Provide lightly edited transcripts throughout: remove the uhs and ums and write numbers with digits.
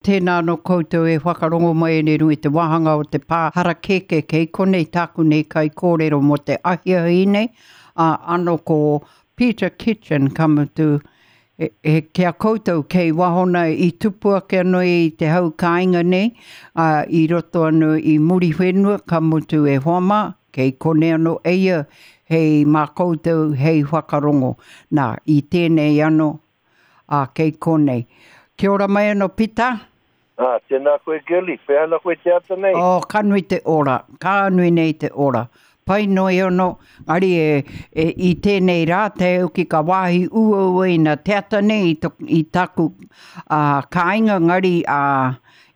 Tēnā anō koutou e whakarongo mai nei runga i te wāhanga o te pā harakeke kei konei tāku nei kaikōrero mō te ahiahi nei, ā, anō ko Peter Kitchen ka mutu e, e, ki a koutou kei waho nei i tupu ake anō i te hau kāinga nei, ā, i roto anō i Muriwhenua ka mutu e hoa mā, kei konei anō eia hei mā koutou hei whakarongo. Nā, i tēnei anō, Ā, kei konei. Kia ora mai anō, Pita. Ā, tēnā koe, Girlie. Pēhea ana koe te ata nei? Oh, ka nui te ora. Ka nui nei te ora. Pai noi anō. Engari e, e, i tēnei rā, te au ki ka wāhi uaua ina te ata nei i, to, i taku ā, kāinga, engari ā,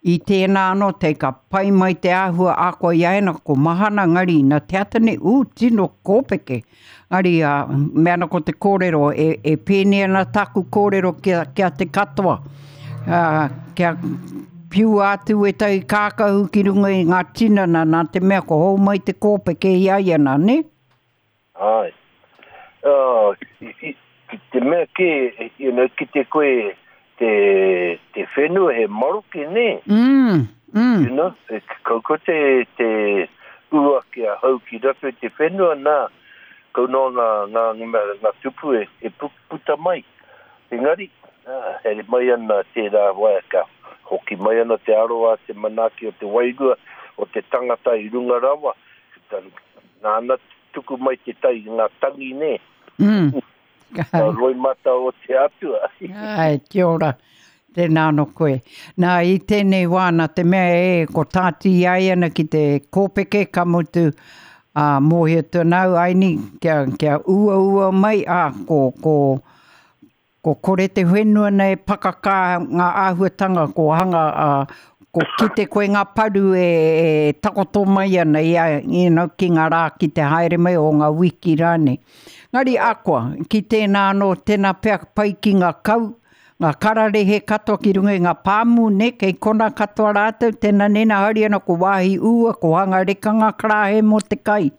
i tēnā anō, te ka pai mai te āhua ākoa i aena, ko mahana, engari ina te ata nei, ū, tino kōpeke. Engari, ā, mea ana ko te kōrero, e, e pēnei ana tāku kōrero ki a, ki a te katoa. Ā, kia piua atu ētahi kākahu ki runga i ngā tinana nā te mea ko hou mai te kōpeke i a ia nā, nē? Āe. Ā, i, i, ki te mea kē, you know, kite koe te, te whenua he maroke, nē? Mm, mm. You know, e, kau ko te, te ua ki a hau ki roto i te whenua, nā, kau noa ngā, ngā, ngā, ngā tupu e, e puta mai. Engari, nā, haere mai ana tērā wā, ka hoki mai ana te aroha, te manaaki o te wairua o te tangata i runga rawa, nāna tuku mai te tai, ngā tangi, nē. Mm. Ka roimata o te Atua. Ai, kia ora. Tēnā anō koe. Nā, i tēnei wā, nā te mea e, ko tāti i ai ana ki te kōpeke, ka mutu, ā, mōhio atu ana au, aini, kia, kia uaua mai, ā, ko, ko, ko kore te whenua nei e pakakā ngā āhuatanga, ko hanga, ā, ko kite koe ngā paru e, e takoto mai ana i a, you know, ki ngā rā ki te haere mai o ngā wiki rānei. Ngari akoa, ki tēnā anō, tēnā pea pai ki ngā kau, ngā kararehe katoa ki runga i ngā pāmu, nē, kei kona katoa rātou, tēnā nēnā haere ana ko wāhi ua, ko hanga reka ngā karāhe mō te kai.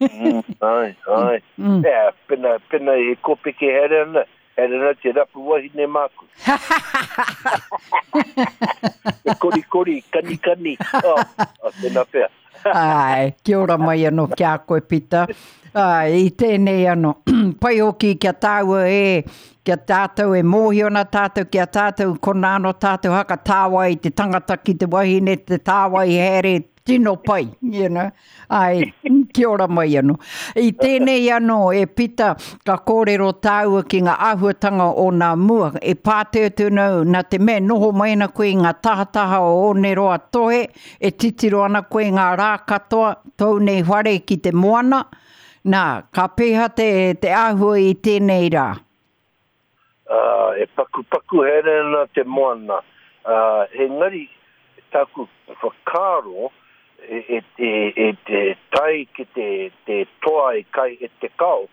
Mm, ai, ai. Mm. Ea, pena, pena e kōpeke haere ana, haere ana te rapu wahine māku. Te korikori, kanikani, oh, oh, tēnā pea. Āe, kia ora mai anō ki a koe, Pita. Āe, i tēnei anō, pai hoki kia tāua e, kia tātou e mōhio ana tātou ki a tātou, konā anō tātou haka tāwai te tangata ki te wahine, te tāwai haere, tino pai, you know. Āe, kia ora mai anō. I tēnei anō, e Pita, ka kōrero tāua ki ngā āhuatanga o nā mua, e pātai atu ana au, nā te mea e noho mai ana koe i ngā tahataha o Oneroa Tohe, E titiro ana koe ngā rā katoa, tōu nei whare ki te moana, nā, ka pēhea te, te āhua i tēnei rā? Ā, e pakupaku haere ana te moana, ā, engari tāku whakaaro, e, e, e, e, e tae ki te, te toa e kai e te kao,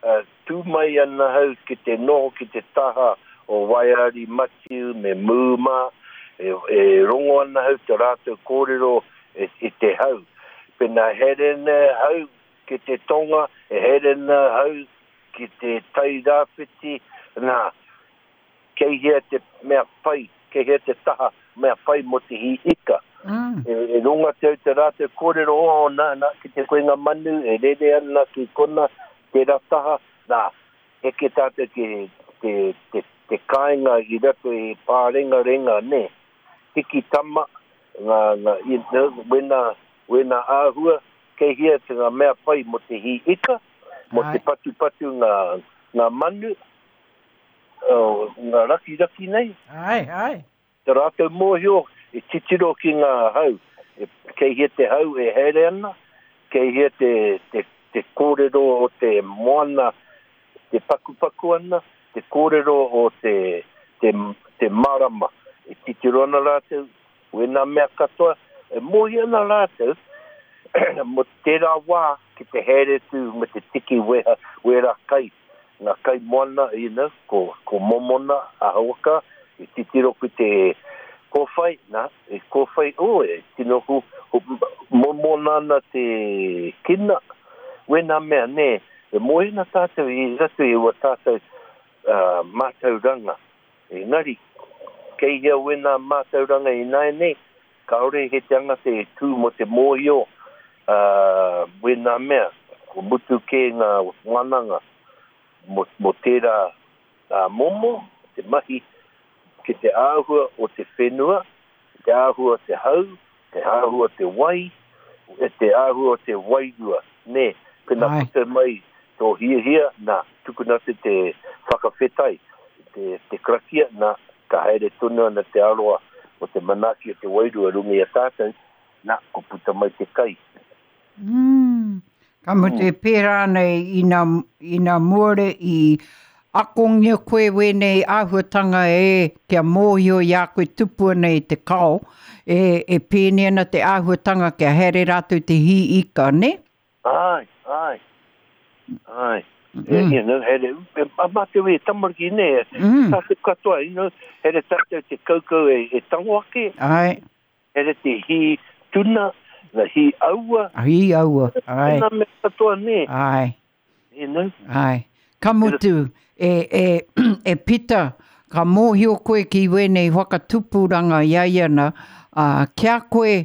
ā, Tū mai ana hau ki te noho ki te taha o Waiari Matiu me Mū mā, e, e rongo ana hau te rātou kōrero e, i te hau. Pena haere ana hau ki te tonga, e haere ana hau ki te tai rāwhiti, nā, kei hea te mea pai, kei hea te taha mea pai mō te hī ika. Mm. E, e ronga te au te rātou kōrero, oh, nā, nā, ki te koe ngā manu e rere ana ki kona, tērā taha, nā, heke tātou ki te, te, te kāinga i roto i Pārengarenga, nē, hiki tama, ngā, ngā, you know, wena, wena āhua, kei hea te ngā mea pai mō te hī ika, mō te patupatu ngā, ngā manu, oh, ngā rakiraki nei. Ai, ai. Te rātou mōhio e titiro ki ngā hau, e, kei hea te hau e haere ana, kei hea te, te, te kōrero o te moana te pakupaku ana, te kōrero o te, te, te marama. E titiro ana rātou, wēnā mea katoa, e mōhio ana rātou, mō tērā wā ki te haere atu me te tiki weha, wera kai Nga kai moana, you know, ko, ko momona a Hawaka, i titiro ki te kowhai, na, e kowhai, oh, e tino hu, hu, momona ana te kina, wena mea, ne, e moe ana tatou i roto i ua tatou uh, matauranga. Engari, Kei hea wēnā mātauranga ināianei, kāore he tangata e tū mō te mōhio ā wēnā mea, kua mutu kē ngā wānanga mō, mō tērā ā momo, te mahi ki te āhua o te whenua, te āhua o te hau, te āhua o te wai, e te āhua o te wairua, nē, pēnā puta mai tō hiahia, nā, tukuna atu te whakawhetai, te, te karakia, nā, ka haere tonu ana te aroa o te manaaki o te wairua runga i a tātou, nā, ko puta mai te kai. Mm. Ka mutu e pērā ana ina, ina muare i akongia koe wēnei āhuatanga e kia mōhio i a koe tupu ana i te kao, e, e pēnei ana te āhuatanga kia haere rātou te hī ika, nē? Āe, āe, āe. Mm. You know, haere, a mātou e tamariki, nē, mm. tātou katoa, you know, haere tātou te kaukau e, e tango ake. Āe. Haere te hī tuna, the hī aua. Hī aua, āe. Tēnā mea katoa, nē. Āe. You know? Āe. Ka mutu, e, e, e Pita, ka mōhio koe ki wēnei whakatupuranga i a ia na, ā, ki a koe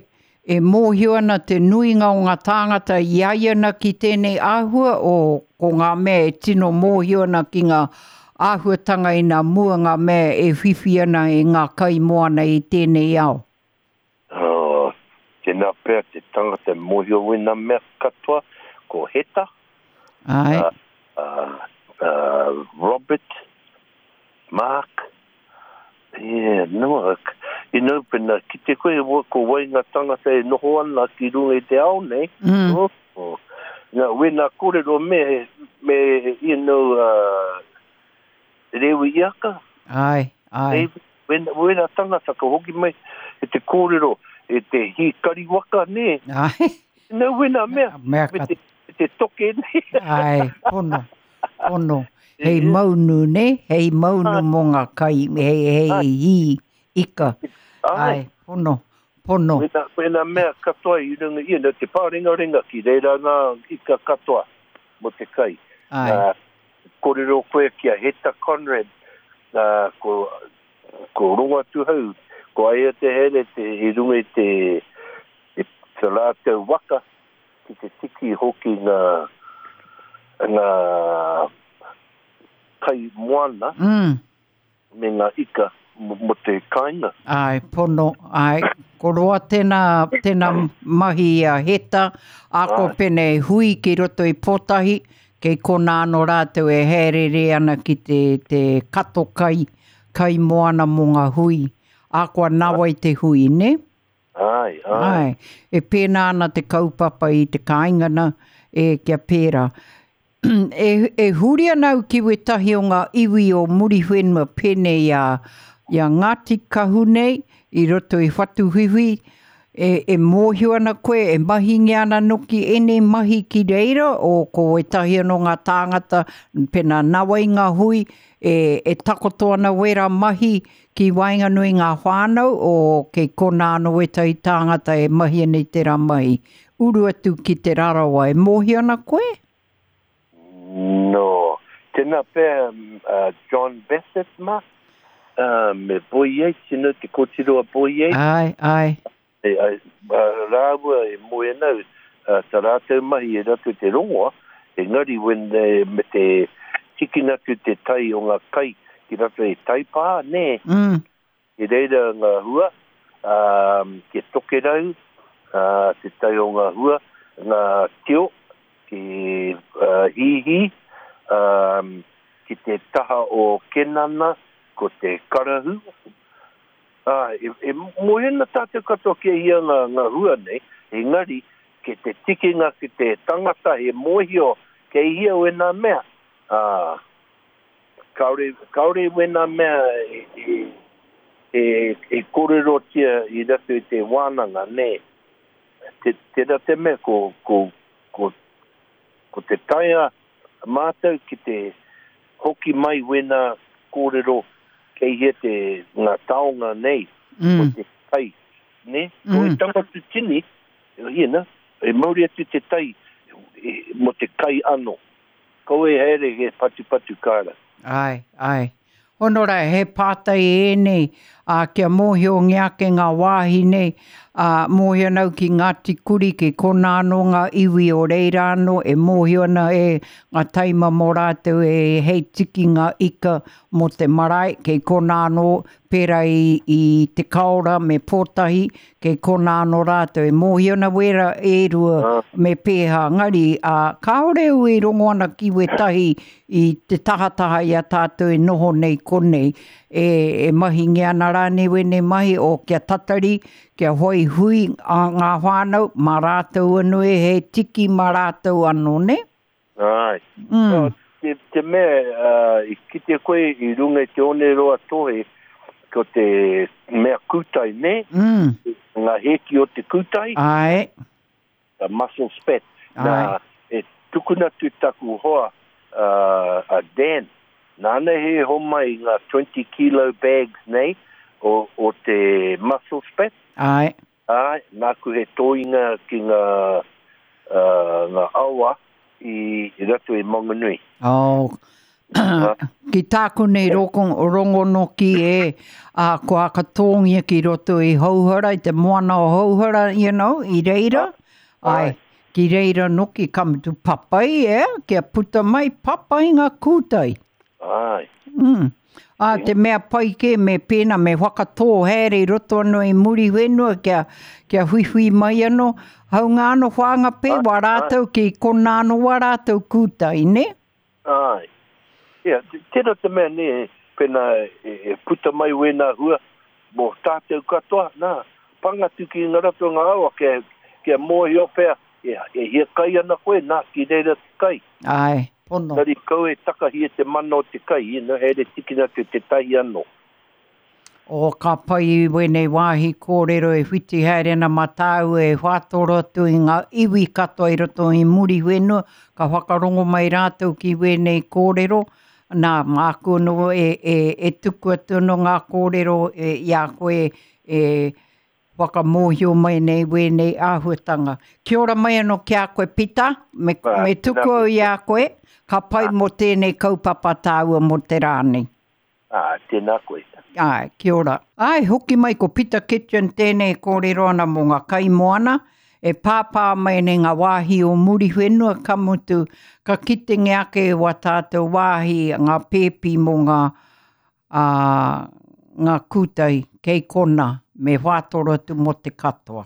e mōhio ana te nuinga o ngā tāngata i a ia na ki tēnei āhua o ko ngā mea e tino mōhio ana ki ngā āhuatanga ina mua ngā mea e whiwhi ana i ngā kai moana i tēnei ao. Oh, tēnā pea te tangata e mōhio wēnā mea katoa, ko Heta, Āe. Uh, uh, uh, Robert, Mark, yeah, no, you know, pena kite koe ko wai ngā tangata e noho ana ki runga i te ao nei, mm. oh, oh. Ngā, wēnā kōrero me, me, you know, uh, Rewi Iaka. Āe, āe. Wēnā, wēnā tangata ka hoki mai e te kōrero, e te hīkari waka, nē. Āe. Nā, wēnā mea, mea me te, te toke, nē. Āe, pono, pono. Hei maunu, nē, hei maunu mō ngā kai, hei, hei hī ika. Āe, pono, pono. Wēnā, wēnā mea katoa i runga, you know, te pārengarenga ki reira ngā ika katoa mō te kai. Āe. Uh, Korero koe ki a Heta Conrad, uh, ko, ko Rongoatuhau, ko aia te here te, i runga i te, te, te rātou waka ki te tiki hoki ngā, ngā kai moana. Mm. Me ngā ika mō te kāinga. Āe, pono, āe. Ko roa tēnā, tēnā mahi a Heta, ā ko pēnei hui ki roto i Pōtahi, kei konā anō rātou e hāereere ana ki te, te kato kai, kai moana mō ngā hui. Ā koa nāwai te hui, nē? Āe, āe. Āe. E pēnā ana te kaupapa i te kāinga nā, e, kia pērā. E, e huri ana au ki wētahi o ngā iwi o Muriwhenua pēnei i a, i a Ngāti Kahu nei, i roto i Whatuwhiwhi, e, e mōhio ana koe, e mahingia ana noki ēnei mahi ki reira, o ko wētahi anō ngā tāngata, pēnā nāwai ngā hui, e, e takoto ana wērā mahi ki waenganui ngā whānau, o kei konā anō wētahi tāngata e mahi ana i tērā mahi. Uru atu ki Te Rarawa, e mōhio ana koe? No. Tēnā pea a John Bassett mā, me Boy Yates, you know, te kōtiro a Boy Yates. Āe, āe. E, ai, rāua e moe ana au, tā rātou mahi e rātou te rongoa, engari when they, me te tikina atu te tai o ngā kai ki roto i Taipā, nē? Mm. Ki reira ngā hua, ā, ki Tokerau, ā, te tai o ngā hua, ngā tio, ki Hīhī, ā, ki te taha o Kenana, ko te karahu. Ā, e, e moe ana tātou katoa ki a ia ngā, ngā hua nei, engari, ki te tikinga ki te tangata he mōhio kei hia wēnā mea, ā, Kāore, kāore wēnā mea e, e, e, e kōrerotia i roto i te wānanga, nē. Te, tērā te mea ko, ko, ko, ko te taea mātou ki te hoki mai wēnā kōrero kei hea te, ngā taonga nei, mm. o te tai, nē? Mm. Ko e tangata tini, you know, e mauri atu te tai e, mo te kai anō. Kaua e haere he patupatu kāra. Āe, āe. Honora, he pātai ēnei, ā, kia mōhiongia ake ngā wāhi nei, ā, mōhio ana au ki Ngāti Kuri, ki konā anō ngā iwi o reira anō e mōhio ana e ngā taima mō rātou e hei tiki ngā ika mō te marae, kei konā anō, pērā i, i Te Kaora me Pōtahi, kei konā anō rātou e mōhio ana wērā e rua me pēhā, engari, ā, kāore au e rongo ana ki wētahi i te tahataha i a tātou e noho nei konei, e, e mahingia ana rānei wēnei mahi o kia tatari, kia whai hui a ngā whānau, mā rātou anō e he tiki mā rātou anō, nē? Āe. Mm. No, te, te mea, uh, i kite koe i runga i te oneroa tohe, ko te mea kūtai, nē? Mm. Ngā hēki o te kūtai. Āe. The mussel spat. Āe. Nā, e tukuna atu taku hoa, uh, a Dan, nāna he homai ngā 20 kilo bags nei o, o te mussel spat. Āe. Āe, nāku he tōinga ki ngā, ngā awa i roto i Maunganui. Oh, ki tāku nei rongo noki e, ā, kua akatōngia ki roto i Houhara, i te moana o Houhara, you know, i reira. Āe, ki reira noki, ka mutu papai, e, kia puta mai papai ngā kūtai. Āe. Mm. Ā, te mea pai kē me pēnā, me whakatō haere i roto anō i Muriwhenua kia, kia huihui mai anō. Haunga anō Whāngapē, wā rātou ki konā anō wā rātou kūtai, nē? Āe. Ia, tērā te mea, nē, pēnā e puta mai wēnā hua mō tātou katoa, nā, panga atu ki ngā ratonga awa kia, kia mōhio pea e, e hiakai ana koe, nā, ki reira te kai. Āe, pono. Engari kau e takahi e te mana o te kai, you know, haere tikina atu tētahi anō. Oh, ka pai i wēnei wāhi kōrero e whiti haere ana mā tāua e whātoro atu i ngā iwi katoa i roto i Muriwhenua, ka whakarongo mai rātou ki wēnei kōrero, nā, māku anō e, e, e tuku atu anō ngā kōrero e, i a koe e whakamōhio mai nei wēnei āhuatanga. Kia ora mai anō ki a koe Pita, me, me tuku au i a koe, ka pai mō tēnei kaupapa tāua mō te rā nei. Ā, tēnā koe. Āe, kia ora. Āe, hoki mai ko Pita Kitchen tēnei e kōrero ana mō ngā kaimoana e pāpā mai nei ngā wāhi o Muriwhenua, ka mutu, ka kitengia ake wā tātou wāhi, ngā pēpi mō ngā, ā, ngā kūtai kei konā, me whātoro atu mō te katoa.